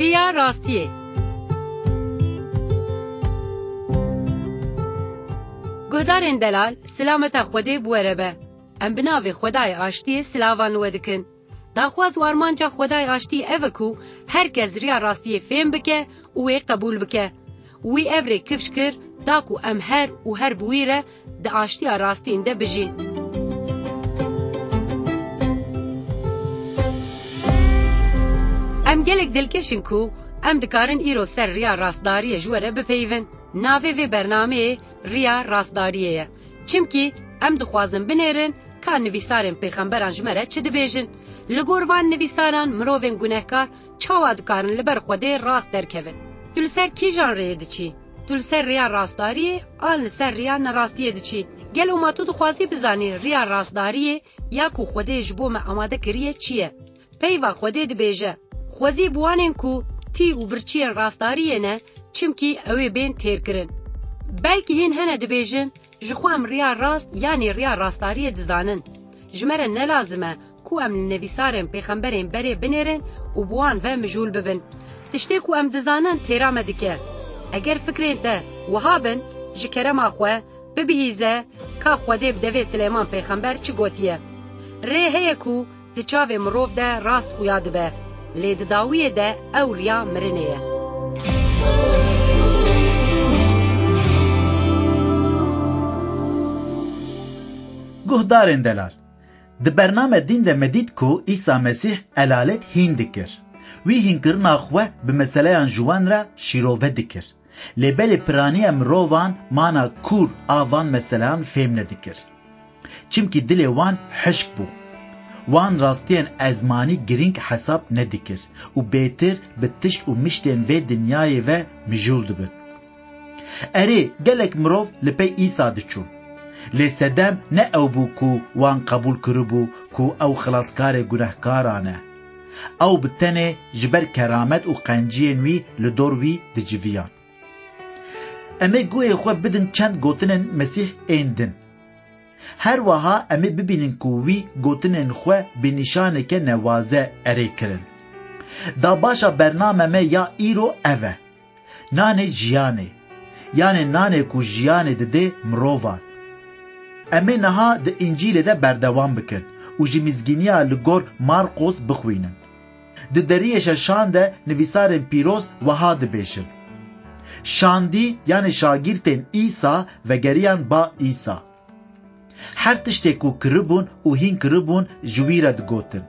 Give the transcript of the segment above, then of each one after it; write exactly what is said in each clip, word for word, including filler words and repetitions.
Riya rastiyê. Guhdarên delal, silameta Xwedê bi we re be. Em bi navê Xwedayê Aştiyê silavan li we dikin. Daxwaz û armanca Xwedayê Aştiyê ev e ku her kes riya rastiyê fêm bike û wê qebûl bike. Wî ev rê kifş kir, da ku em her û her bi wî re di aştiya rastîn de bijîn. Em gelek dilkeş in ku em dikarin îro ser riya rastdariyê ji we re bipeyivin. Navê vê bernameyê Riya Rastdariyê ye. Çimkî em dixwazin binêrin ka nivîsarên pêxemberan ji me re çi dibêjin. Li gor van nivîsaran mirovên gunehkar çawa dikarin li ber Xwedê rast derkevin? Tu li ser kîjan rêyê diçî? Tu li ser rêya rastdariyê an li ser rêya nerastiyê diçî? Gelo ma tu dixwazî bizanî rêya rastdariyê ya ku Xwedê ji bo me amade kiriye çi ye? Peyva Xwedê dibêje, Xwezî bi wanên ku tî û birçiyên rastdariyê ne, çimkî ew ê bên têrkirin. Belkî hîn hene dibêjin, Ji xwe em riya rast yanî riya rastdariyê dizanin. Ji me re ne lazim e ku em li nivîsarên pêxemberên berê binêrin û bi wan ve mijûl bibin. Tiştê ku em dizanin têra me dike. Eger fikrên te wiha bin, ji kerema xwe bibihîze ka Xwedê bi devê Silêman pêxember çi gotiye. Rê heye ku di çavê mirov de rast xuya dibe, lê di dawiyê de ew riya mirinê ye. Guhdarên delal, di bername dîn de me dît ku Îsa Mesîh elalet hîn dikir. Wî hînkirina xwe bi meseleyan ji wan re şîrove dikir. Lê belê piraniya mirovan mana kûr a van meseleyan fêm nedikir. Çimkî dilê wan hişk bû. Wan rastiyên ezmanî girîng hesab nedikir û bêtir bi tişt û miştên vê dinyayê ve mijûl dibin. Erê, gelek mirov li pey Îsa diçûn. Lê sedem ne ew bû ku wan qebûl kiribû ku ew xilaskarê gunehkaran e. Ew bi tenê ji ber keramet û qenciyên wî li dor wî diciviyan. Em ê guhê xwe bidin çend gotinên Mesîh ên din. Her wiha em ê bibînin ku wî gotinên xwe bi nîşaneke newaze erê kirin. Da başa bername me ya îro ev e. Nanê jiyanê. Yanê nanê ku jiyanê didê mirovan. Em ê niha di Încîlê de berdewam bikin û ji mizgîniya li gor Marqos bixwînin. Di deriyê şeşan de nivîsarên pîroz wiha dibêjin, Şandî, yanê şagirtên Îsa, vegeriyan ba Îsa. Her tiştê ku kiribûn û hîn kiribûn ji wî re digotin.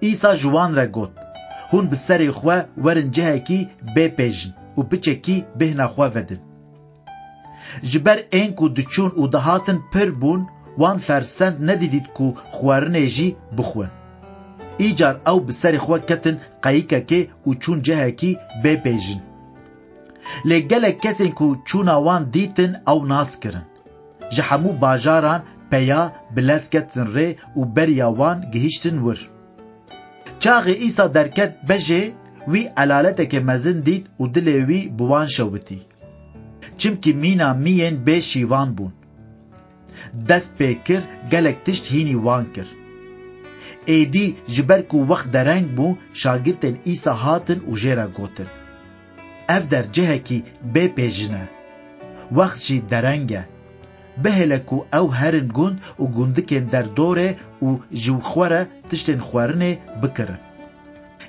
Îsa ji wan re got, Hûn bi serê xwe werin cihekî bê pêjin û piçekî bêhna xwe vedin. Ji ber ên ku diçûn û dihatin pir bûn, wan fersend nedidît ku xwarinê jî bixwin. Îcar ew bi serê xwe ketin qeyikekê û çûn cihekî bê pêjin. Lê gelek kesên ku çûna wan dîtin ew nas kirin. Ji hemû bajaran peya bi lez ketin rê û beriya wan gihiştin wir. Çaxê Îsa derket bejê, wî elaleteke mezin dît û dilê wî bi wan şewitî. Çimkî mîna miyên bê şîvan bûn. Dest pê kir, gelek tişt hînî wan kir. Êdî ji ber ku wext dereng bû, şagirtên Îsa hatin û jê re gotin, Ev der cihekî bê pêjin e. Wext jî dereng e. Bihêle ku ew herin gund û gundikên derdorê û ji xwe re tiştên xwarinê bikirin.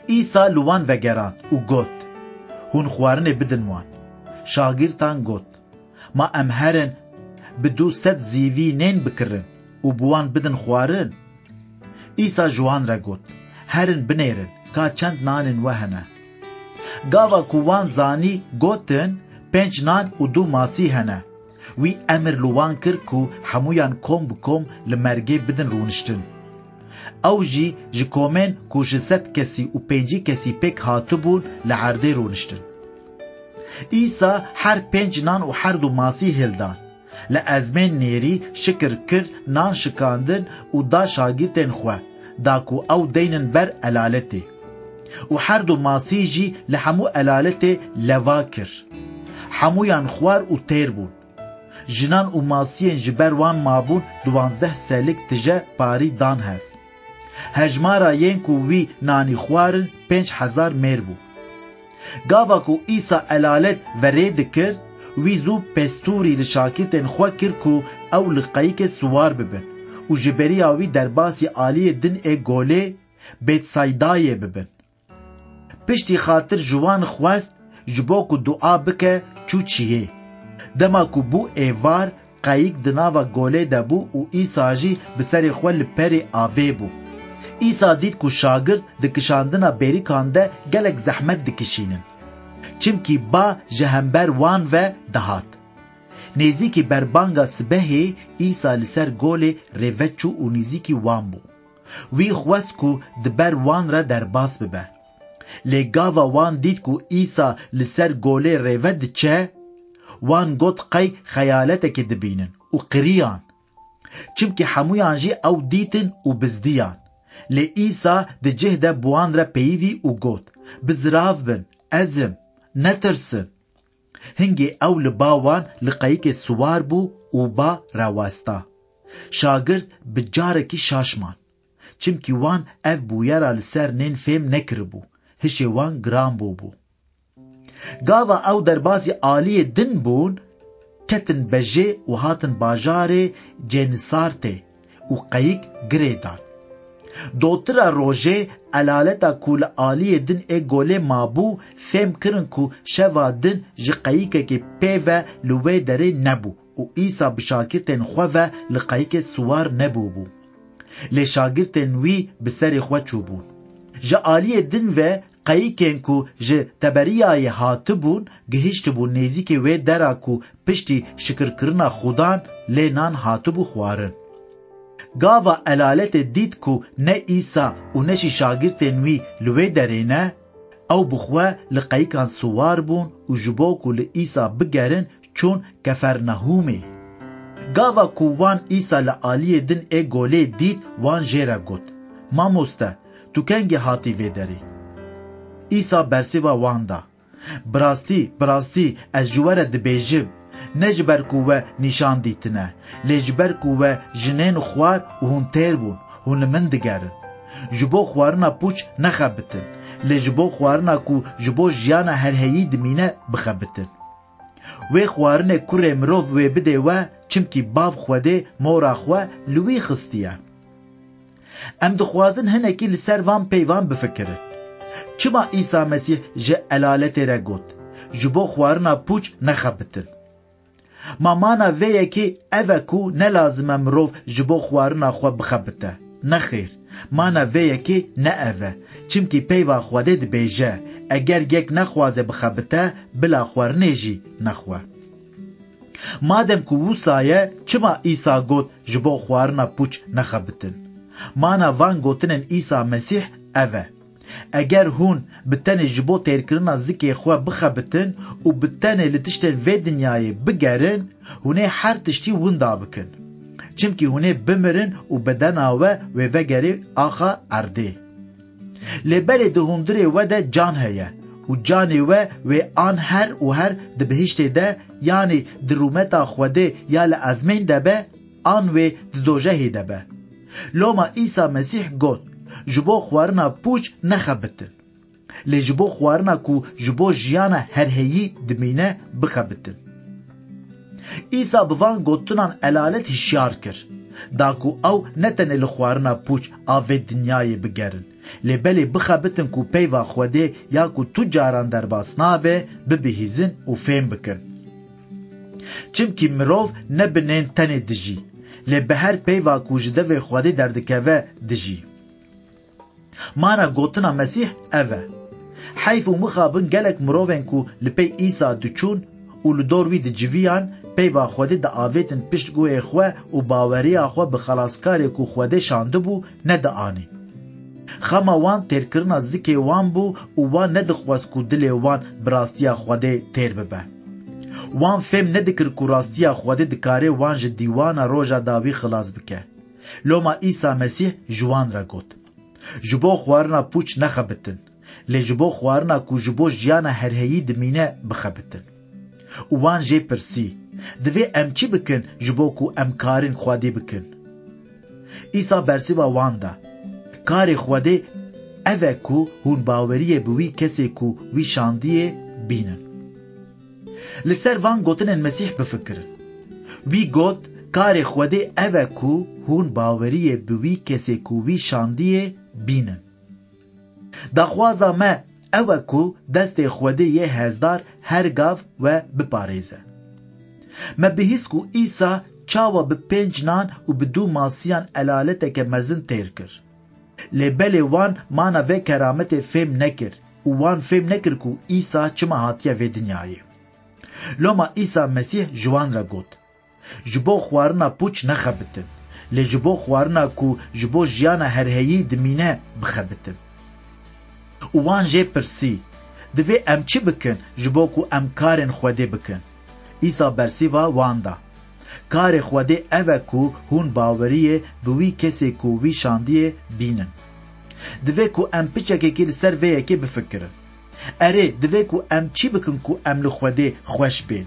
Îsa li wan vegerand û got, Hûn xwarinê bidin wan. Şagirtan got, Ma em herin bi du sed zîvî nên bikirin û bi wan bidin xwarin? Îsa ji wan re got, Herin binêrin ka çend nanên we hene. Gava ku wan zanî, gotin, Pênc nan û du masî hene. Wî emir li wan kir ku hemûyan kom bi kom li mergê bidin rûniştin. Ew jî ji komên ku ji sed kesî û pêncî kesî pêk hatibûn li erdê rûniştin. Îsa her pênc nan û her du masî hildan. Li ezmên nêrî şikir kir, nan şikandin û da şagirtên xwe, da ku ew deynin ber elaletê. Û her du masî jî li hemû elaletê leva kir. Hemûyan xwar û têr bûn. Jinan û masiyên ji ber wan mabûn duwazdeh selik tije parî dan hev. Hejmara yên ku wî nanî xwarin pênc hezar mêr bû. Gava ku Îsa elalet verê dikir, wî zû pestûrî li şakirtên xwe kir ku ew li qeyikê siwar bibin û ji beriya wî derbasî aliyê din ê golê Betsaydayê bibin. Piştî xatir ji wan xwest, ji bo ku dua bike, çû çiyê. Dema ku bû êvar, qeyik di nava golê de bû û Îsa jî bi serê xwe li perê avê bû. Îsa dît ku şagirt di kişandina bêrikan de gelek zehmet dikişînin. Çimkî ba ji hember wan ve dihat. Nêzîkî berbanga sibehê Îsa li ser golê rêve çû û nêzîkî wan bû. Wî xwest ku di ber wan re derbas bibe. Lê gava wan dît ku Îsa li ser golê rêve diçe, wan got qey xeyaletekê dibînin û qiriyan. Çimkî hemûyan jî ew dîtin û bizdiyan. Lê Îsa di cih de bi wan re peyivî û got, "Bizirav bin, ez im, netirsin." Hingê ew li ba wan li qeyikê siwar bû û ba rawesta. Şagirt bi carekî şaş man. Çimkî wan ev bûyera li ser nên fêm nekiribû, hişê wan giran bûbû. Gava ew derbasî aliyê din bûn, ketin bejê û hatin bajarê Cenisartê û qeyik girê dan. Dotira rojê elaleta ku li aliyê din ê golê mabû, fêm kirin ku şeva din ji qeyikekê pê ve li wê derê nebû û Îsa bi şakirtên xwe ve li qeyikê siwar nebûbû. Lê şagirtên wî bi serê xwe çûbûn. Ji aliyê din ve qeyikên ku ji Teberiyayê hatibûn, gihiştibûn nêzîkê wê dera ku piştî şikirkirina Xudan lê nan hatibû xwarin. Gava elaletê dît ku ne Îsa û ne jî şagirtên wî li wê derê ne, ew bi xwe li qeyikan siwar bûn û ji bo ku li Îsa bigerin, çûn Kefernahûmê. Gava ku wan Îsa li aliyê din ê golê dît, wan jê re got, "Mamoste, tu kengî hatî vê derê?" Îsa bersiva wan da, "Bi rastî, bi rastî, ez ji we re dibêjim, ne ji ber ku we nîşan dîtine, lê ji ber ku we jinên xwar û hûn têr bûn, hûn li min digerin. Ji bo xwarina pûç nexebitin, lê ji bo xwarina ku ji bo jiyana herheyî dimîne, bixebitin. Wê xwarinê kurê mirov wê bidê we, çimkî Bav Xwedê mora xwe li wî xistiye." Em dixwazin hinekî li ser van peyvan bifikirin. Çima Îsa Mesîh ji elaletê re got, "Ji bo xwarina pûç nexebitin"? Ma mana vê yekê ev e ku ne lazim e mirov ji bo xwarina xwe bixebite? Nexêr, mana vê yekê ne ev e. Çimkî peyva Xwedê dibêje, "Eger yek nexwaze bixebite, bila xwarinê jî nexwe." Madem ku wisa ye, çima Îsa got, "Ji bo xwarina pûç nexebitin"? Mana van gotinên Îsa Mesîh ev e. Eger hûn bi tenê ji bo têrkirina zikê xwe bixebitin û bi tenê li tiştên vê dinyayê bigerin, hûn ê her tiştî winda bikin. Çimkî hûn ê bimirin û bedena we wê vegerê axa erdê. Lê belê di hundirê we de can heye û canê we wê an her û her di bihiştê de, yanî di rûmeta Xwedê ya li ezmên de be, an wê di dojehê de be. Loma Îsa Mesîh got, "Ji bo xwarina pûç nexebitin. Lê ji bo xwarina ku ji bo jiyana herheyî dimîne, bixebitin." Îsa bi van gotinan elalet hişyar kir, da ku ew ne tenê li xwarina pûç a vê dinyayê bigerin, lê belê bixebitin ku peyva Xwedê ya ku tu caran derbas nabe, bibihîzin û fêm bikin. Çimkî mirov ne bi nên tenê dijî, lê bi her peyva ku ji devê Xwedê derdikeve dijî. Mana gotina Mesîh ev e. Heyf û mixabin gelek mirovên ku li pey Îsa diçûn û li dor wî diciviyan, peyva Xwedê diavêtin pişt guhê xwe û baweriya xwe bi xelaskarê ku Xwedê şandibû nedianî. Xema wan têrkirina zikê wan bû û wan nedixwest ku dilê wan bi rastiya Xwedê têr bibe. Wan fêm nedikir ku rastiya Xwedê dikare wan ji dîwana roja dawî xilas bike. Loma Îsa Mesîh ji wan re got, "Ji bo xwarina pûç nexebitin, lê ji bo xwarina ku ji bo jiyana herheyî dimîne, bixebitin." Û wan jê pirsî, "Divê em çi bikin ji bo ku em karên Xwedê bikin?" Îsa bersiva wan da, "Karê Xwedê ev e ku hûn baweriyê bi wî kesê ku wî şandiyê bînin. Li ser van gotinên Mesîh bifikirin. Wî got, karê Xwedê ev e ku hûn baweriyê bi wî kesê ku wî şandiyê bînin. Daxwaza me ew e ku destê Xwedê yê hêzdar her gav we biparêze. Me bihîst ku Îsa çawa bi pênc nan û bi du masiyan elaleteke mezin têr kir. Lê belê wan mana vê kerametê fêm nekir û wan fêm nekir ku Îsa çima hatiye vê dinyayê. Loma Îsa Mesîh ji wan re got, ji bo xwarina pûç nexebitin, lê ji bo xwarina ku ji bo jiyana herheyî dimîne bixebitin. Û wan jê pirsî, divê em çi bikin ji bo ku em karên Xwedê bikin? Îsa bersîva wan da, karê Xwedê ev e ku hûn baweriyê bi wî kesê ku wî şandiyê bînin. Divê ku em piçekekî li ser vê yekê bifikirin. Erê, divê ku em çi bikin ku em li Xwedê xweş bên?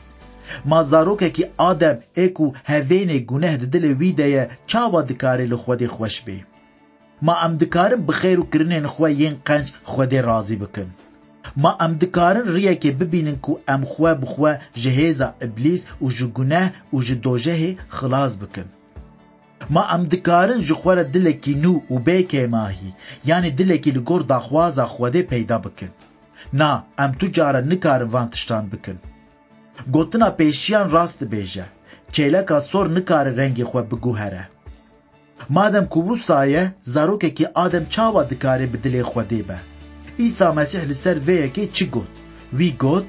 Ma zarokekî Adem ê ku hevênê guneh di dilê wî de ye, çawa dikare li Xwedê xweş bê? Ma em dikarin bi xêr û kirinên xwe yên qenc Xwedê razî bikin? Ma em dikarin riyekê bibînin ku em xwe bi xwe ji hêza Îblîs û ji guneh û ji dojehê xilas bikin? Ma em dikarin ji xwe re dilekî nû û bê kêmahî, yanî dilekî li gor daxwaza Xwedê peyda bikin? Na, em tu cara nikarin van tiştan bikin. Gotina pêşiyan rast dibêje, çêleka sor nikare rengê xwe biguhere. Madem ku wisa ye, zarokekî Adem çawa dikare bi dilê Xwedê be? Îsa Mesîh li ser vê yekê çi got? Wî got,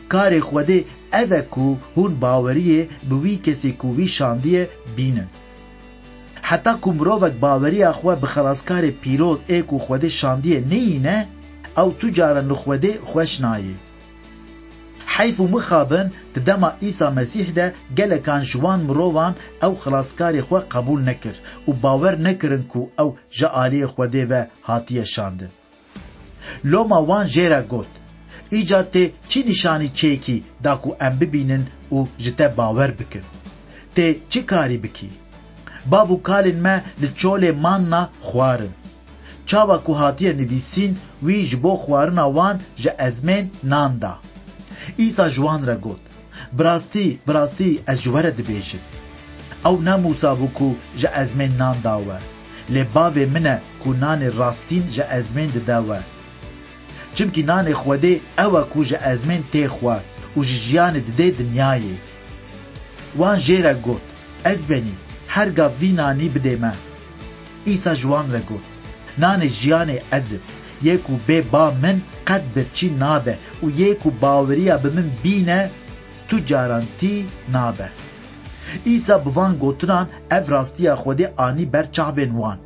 karê Xwedê ev e ku hûn baweriyê bi wî kesê ku wî şandiye bînin. Heta ku mirovek baweriya xwe bi Xelaskarê pîroz ê ku Xwedê şandiye neyîne, ew tu caran li Xwedê xweş nayê. Heyf û mixabin di dema Îsa Mesîh de gelekan ji wan mirovan ew Xilaskarê xwe qebûl nekir û bawer nekirin ku ew ji aliyê Xwedê ve hatiye şandin. Loma wan jê re got, îcar tê çi nîşanî çêkî da ku em bibînin û ji te bawer bikin? Tê çi karî bikî? Bav û kalên me li çolê manna xwarin. Çawa ku hatiye nivîsîn, wî ji bo xwarina wan ji ezmên nan da. Îsa ji wan re got, bi rastî, bi rastî ez ji we re dibêjim, ew ne Mûsa bû ku ji ezmên nan da we, lê bavê min e ku nanê rastîn ji ezmên dide we. Çimkî nanê Xwedê ew e ku ji ezmên tê xwar û ji jiyanê didê dinyayê. Wan jê re got, ez benî, her gav vî nanî bidê me. Îsa ji wan re got, nanê jiyanê ez im, yê ku bê ba min qet birçî nabe û yê ku baweriya bi min bîne tu caran tî nabe. Îsa bi van gotinan ev rastiya Xwedê anî ber çavên wan.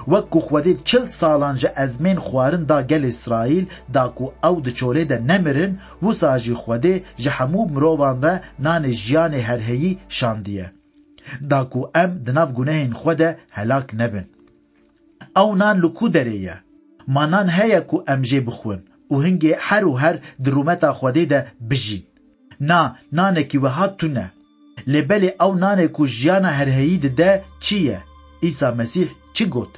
Wek ku Xwedê çil salan ji ezmên xwarin da gelê Îsraîl, da ku ew di çolê de nemirin, wisa jî Xwedê ji hemû mirovan re nanê jiyanê herheyî şandiye, da ku em di nav gunehên xwe de helak nebin. Ew nan li ku derê ye? Ma nan heye ku em jê bixwin û hingê her û her di rûmeta Xwedê de bijîn? Na, nanekî wiha tune. Lê belê ew nanê ku jiyana herheyî dide çi ye? Îsa Mesîh çi got?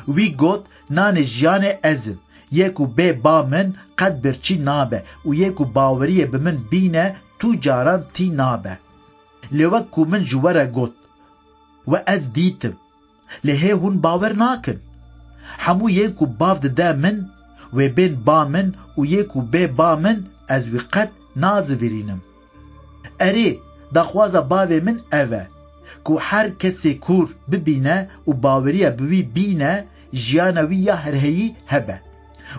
Wî got, nanê jiyanê ez im. Yê ku bê ba min qet birçî nabe û yê ku baweriyê bi min bîne tu caran tî nabe. Lê wek ku min ji we re got, we ez dîtim. Lê hê hûn bawer nakin. Hemû yên ku bav dide min, wê bên ba min û yê ku bê ba min ez wî qet nazivîrînim. Erê, daxwaza bavê min ev e, ku her kesê kûr bibîne û baweriya bi wî bîne, jiyana wî ya herheyî hebe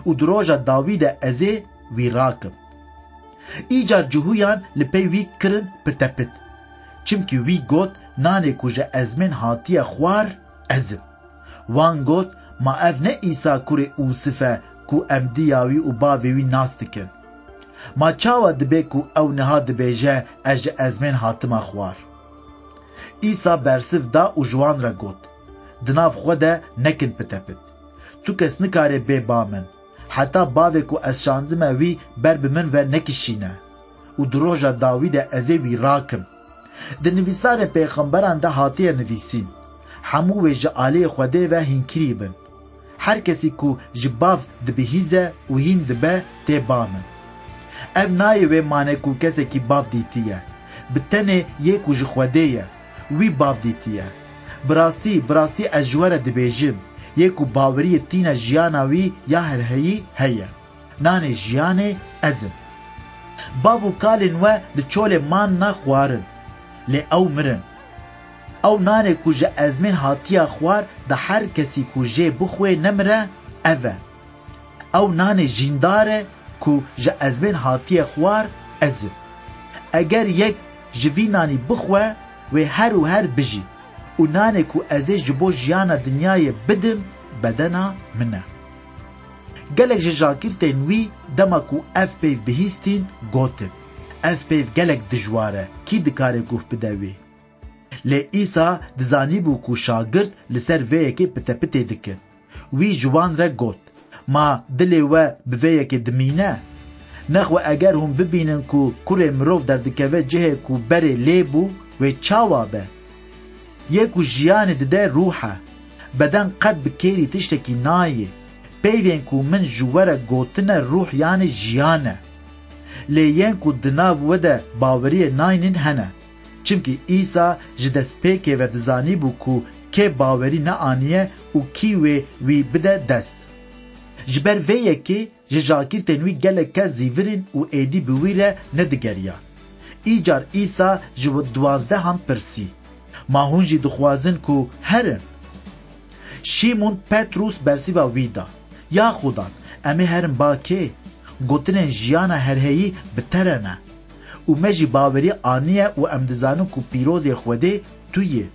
û di roja dawî de ez ê wî rakim. Îcar cihûyan li pey wî kirin pitepit. Çimkî wî got, nanê ku ji ezmên hatiye xwar, ez im. Wan got, ma ev ne Îsa kurê Ûsif e ku em diya wî û bavê wî nas dikin? Ma çawa dibe ku ew niha dibêje, ez ji ezmên hatime xwar? Îsa bersiv da û ji wan re got, di nav xwe de nekin pitepit. Tu kes nikare bê ba min, heta bavê ku ez şandime wî ber bi min ve nekişîne û di roja dawî de ez ê wî rakim. Di nivîsarên pêxemberan de hatiye nivîsîn, hemû wê ji aliyê Xwedê ve hînkirî bin. Her kesî ku ji bav dibihîze û hîn dibe, tê ba min. Ev nayê wê mane ku kesekî bav dîtiye. Bi tenê yê ku ji Xwedê ye, wî bav dîtiye. Bi rastî, bi rastî ez ji we re dibêjim, yê ku baweriyê tîne jiyana wî ya herheyî heye. Nanê jiyanê ez im. Bav û kalên we li çolê manna xwarin, lê ew mirin. Ew nanê ku ji ezmên hatiye xwar, da her kesî ku jê bixwe nemire, ev e. Ew nanê jîndar e ku ji ezmên hatiye xwar, ez im. Eger yek ji vî nanî bixwe, wê her û her bijî. Û nanê ku ez ê ji bo jiyana dinyayê bidim, bedena min e. Gelek ji şagirtên wî dema ku ev peyv bihîstîn, gotin, "Ev peyv gelek dijwar e, kî dikare guh bide wê?" Lê Îsa dizanîbû ku şagirt li ser vê yekê pitepitê dikin. Wî ji wan re got, "Ma dilê we bi vê yekê dimîne? Nexwe eger hûn bibînin ku kurê mirov derdikeve cihê ku berê lê bû, wê çawa be? Yê ku jiyanê dide rûh e. Beden qet bi kêrî tiştekî nayê. Peyvên ku min ji we re gotine rûh, yanî jiyan e. Lê yên ku di nav we de baweriyê naynin hene." Çimkî Îsa ji destpêkê ve dizanîbû ku kê bawerî neaniye û kî wê wî bide dest. Ji ber vê yekê ji şagirtên wî gelek kes zîvirîn û êdî bi wî re nedigeriyan. Îcar Îsa ji duwazdehan pirsî, "Ma hûn jî dixwazin ku herin?" Şîmûn Petrûs bersiva wî da, "Ya Xudan, em ê herin ba kê? Gotinên jiyana herheyî bi te re ne. Û me jî bawerî aniye û em dizanin ku pîrozê Xwedê tu yî."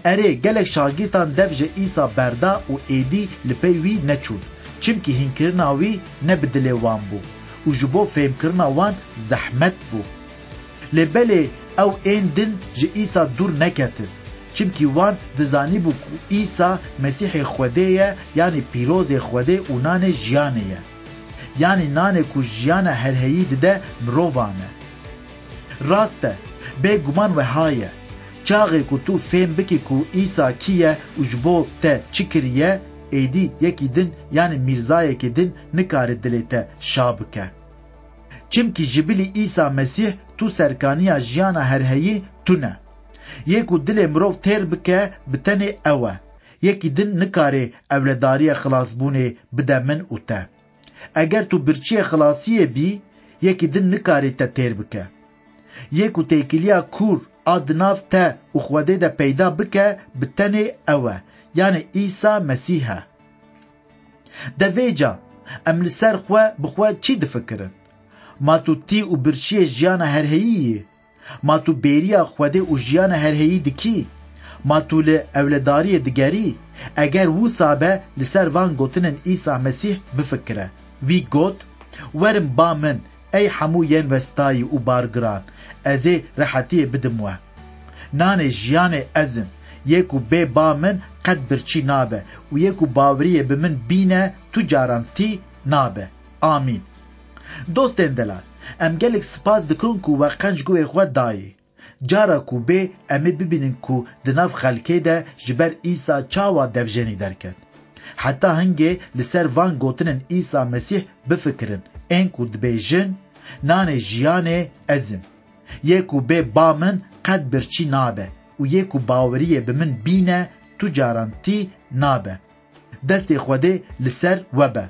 Erê, gelek şagirtan dev ji Îsa berda û êdî li pey wî neçûn, çimkî hînkirina wî ne bi dilê wan bû û ji bo fêmkirina wan zehmet bû. Lê belê ew ên din ji Îsa dûr neketin, çimkî wan dizanîbû ku Îsa Mesîhê Xwedê ye, yanî pîrozê Xwedê û nanê jiyanê ye. Yanî nanê ku jiyana herheyî dide mirovan e. Rast e, bêguman weha ye. Çaxê ku tu fêm bikî ku Îsa kî ye û ji bo te çi kiriye, êdî yekî din, yanî mîrzayekî din nikare dilê te şa bike. Çimkî ji bilî Îsa Mesîh tu serkaniya jiyana herheyî tune. Yê ku dilê mirov têr bike, bi tenê ew e. Yekî din nikare ewledariyê xilasbûnê bide min û te. Eger tu birçiyê xilasiyê bî, yekî din nikare te têr bike. Yê ku têkiliya kûr a di nav te û Xwedê de peyda bike, bi tenê ew e, yanî Îsa Mesîh e. De vêca em li ser xwe bi xwe çi difikirin? Ma tu tî û birçiyê jiyana herheyî yî? Ma tu bêriya Xwedê û jiyana herheyî dikî? Ma tu li ewledariyê digerî? Eger wisa be, li ser van gotinên Îsa Mesîh bifikire. Wî got, "Werin ba min, ey hemû yên westayî û bargiran, ez ê rehetiyê bidim we. Nanê jiyanê ez im, yê ku bê ba min qet birçî nabe û yê ku baweriyê bi min bîne tu caran tî nabe. Amîn." Dostên delal, em gelek spas dikin ku we qenc guhê xwe dayî. Cara ku bê, em ê bibînin ku di nav xelkê de ji ber Îsa çawa devjenî derket. Heta hingê li ser van gotinên Îsa Mesîh bifikirin, ên ku dibêjin, "Nanê jiyanê ez im. Yê ku bê ba min qet birçî nabe û yê ku baweriyê bi min bîne tu caran tî nabe." Destê Xwedê li ser we be.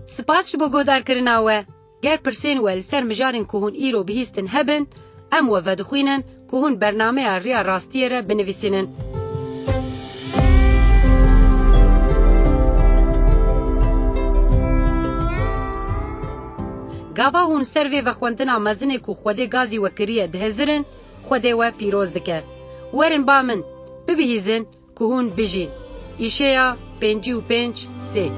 Spas ji bo guhdarkirina we. Ger pirsên we li ser mijarên ku hûn îro bihîstin hebin, em we vedixwînin ku hûn bernameya Riya Rastiyê re binivîsînin. Gava hûn ser vê vexwendina mezinê ku Xwedê gazî we kiriye dihizirin, Xwedê we pîroz dike. Werin ba min, bibihîzin ku hûn bijîn. Îşeya pêncî û pênc sê.